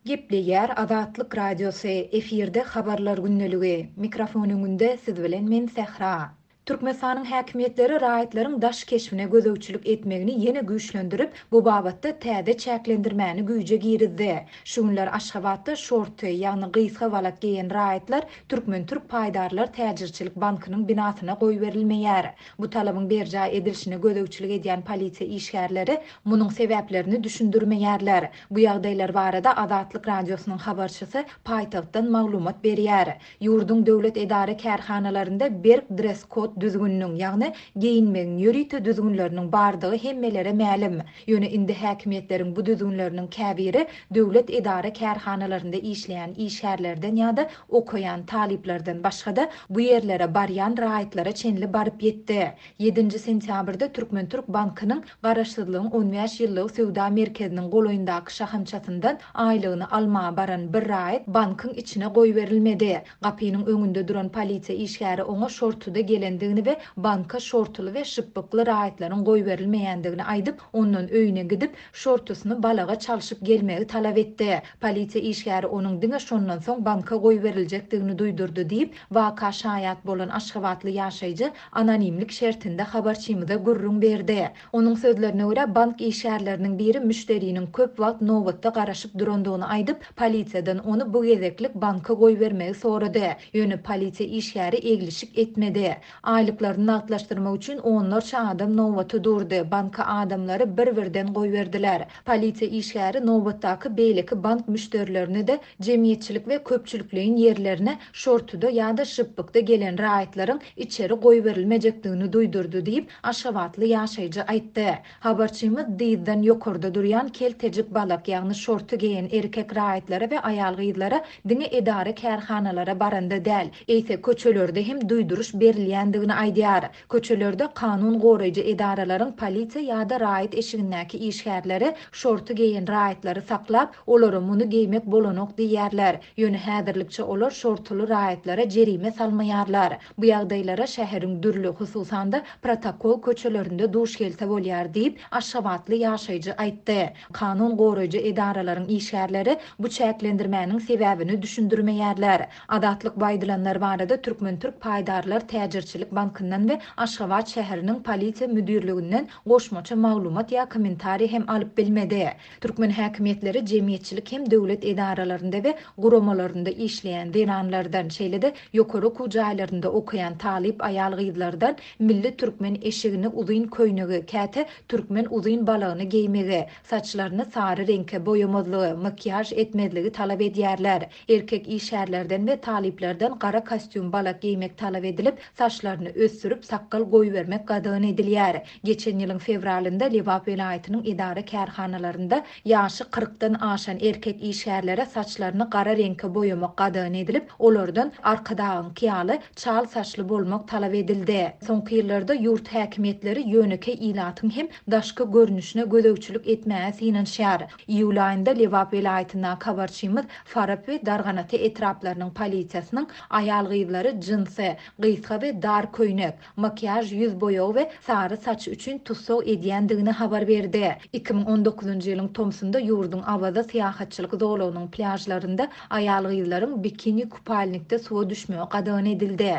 Gepleýär Azatlyk Radiosy, efirde Habarlar gündeligi. Mikrofon öňünde siz bilen men Sähra. Türkmenistanyň häkimiýetleri raýatlaryň daş keşbine gözegçilik etmegini ýene güýçlendirip, bu babatda täze çäklendirmäni güýje girizdi. Şu günler Aşgabatda şorty, ýagny gysga balak geýen raýatlar Türkmen-türk paýdarlar täjirçilik bankynyň binasyna goýberilmeýär. Bu talabyň berjaý edilişine gözegçilik edýän polisiýa işgärleri munuň sebäplerini düşündirmeýärler. Bu ýagdaýlar barada Azatlyk Radiosynyň habarçysy paýtagtdan maglumat berýär. Ýurduň döwlet edara-kärhanalarynda berk dress-kod düzgüniniň, ýagny geýinmegiň ýörite düzgünleriniň bardygy hemmelere mälim. Ýöne indi häkimiýetleriň bu düzgünleriniň käbiri döwlet edara-kärhanalarynda işleýän işgärlerden ýa-da okaýan talyplardan başga-da, bu ýerlere barýan raýatlara çenli baryp ýetdi. Ýedinji sentýabrda Türkmen-türk bankynyň Garaşsyzlygyň on bäş ýyllygy söwda merkeziniň golaýyndaky şahamçasyndan aýlygyny almaga baran bir raýat bankyň içine goýberilmedi. Gapynyň öňünde duran polisiýa işgäri oňa şortuda gelendigini we banka şortuly we şypbykly raýatlaryň goýberilmeýändigini aýdyp, ondan öýüne gidip, şortusyny balaga çalşyp gelmegi talap etdi. Polisiýa işgäri onuň diňe şondan soň banka goýberiljekdigini duýdurdy diýip, waka şaýat bolan aşgabatly ýaşaýjy anonimlik şertinde habarçymyza gürrüň berdi. Onuň sözlerine görä, bank işgärleriniň biri müşderiniň köp wagt nobatda garaşyp durandygyny aýdyp, polisiýadan ony bu gezeklik banka goýbermegi sorady. Ýöne polisiýa işgäri eglişik etmedi. Aýlyklaryny nagtlaşdyrmak üçin onlarça adam nobata durdy, banka adamlary bir-birden goýberdiler. Polisiýa işgäri nobatdaky beýleki bank müşderilerine-de jemgyýetçilik we köpçülikleýin ýerlerine şortuda ýa-da şypbykda gelen raýatlaryň içeri goýberilmejekdigini duýdurdy diýip, aşgabatly ýaşaýjy aýtdy. Habarçymyz dyzdan ýokarda durýan keltejik balak, ýagny şorty geýen erkek raýatlara we aýal-gyzlara diňe edara-kärhanalara baranda däl, eýse köçelerde hem duýduryş berilýändigini aýdýar. Köçelerde kanun goraýjy edaralaryň polisiýa ýa-da raýat eşigindäki işgärleri şorty geýen raýatlary saklap, olara muny geýmek bolanok diýýärler. Ýöne häzirlikçe olar şortuly raýatlara jerime salmaýarlar. Bu ýagdaýlara şäheriň dürli, hususan-da, protokol köçelerinde duş gelse bolýar diýip, aşgabatly ýaşaýjy aýtdy. Kanun goraýjy edaralaryň işgärleri bu çäklendirmäniň sebäbini düşündirmeýärler. Azatlyk bu aýdylanlar barada Türkmen-türk paýdarlar täjirçilik bankyndan we Aşgabat şäheriniň Polisiýa müdirliginden goşmaça maglumat ýa kommentariý hem alyp bilmedi. Türkmen häkimiýetleri jemgyýetçilik hem döwlet edaralarynda we guramalarynda işleýän zenanlardan, şeýle-de ýokary okuw jaýlarynda okaýan talyp aýal-gyzlardan milli türkmen eşigini, uzyn köýnegi, käte türkmen uzyn balagyny geýmegi, saçlaryny sary reňke boýamazlygy, makiýaž etmezligi talap edýärler. Erkek işgärlerden we talyplardan gara kostýum balak geýmek talap edilip, saçlaryny ösdürip, sakgal goýbermek gadagan edilýär. Geçen ýylyň fewralynda Lebap welaýatynyň edara-kärhanalarynda ýaşy kyrkdan aşan erkek işgärlere saçlaryny gara reňke boýamak gadagan edilip, olardan Arkadagyňky ýaly çal saçly bolmak talap edildi. Soňky ýyllarda ýurt häkimiýetleri ýönekeý ilatyň hem daşky görnüşine gözegçilik etmäge synanyşýar. Iýul aýynda Lebap welaýatyndaky habarçymyz Farap we Darganata etraplarynyň polisiýasynyň aýal-gyzlary jinsi, gysga we dar köýnek, makiýaž ýüz boýagy we sary saç üçin tussag edýändigini habar berdi. 2019-njy ýylyň tomsunda ýurduň Awaza syýahatçylyk zolagynyň plýažlarynda aýal-gyzlaryň bikini-kupalnikde suwa düşmegi gadagan edildi.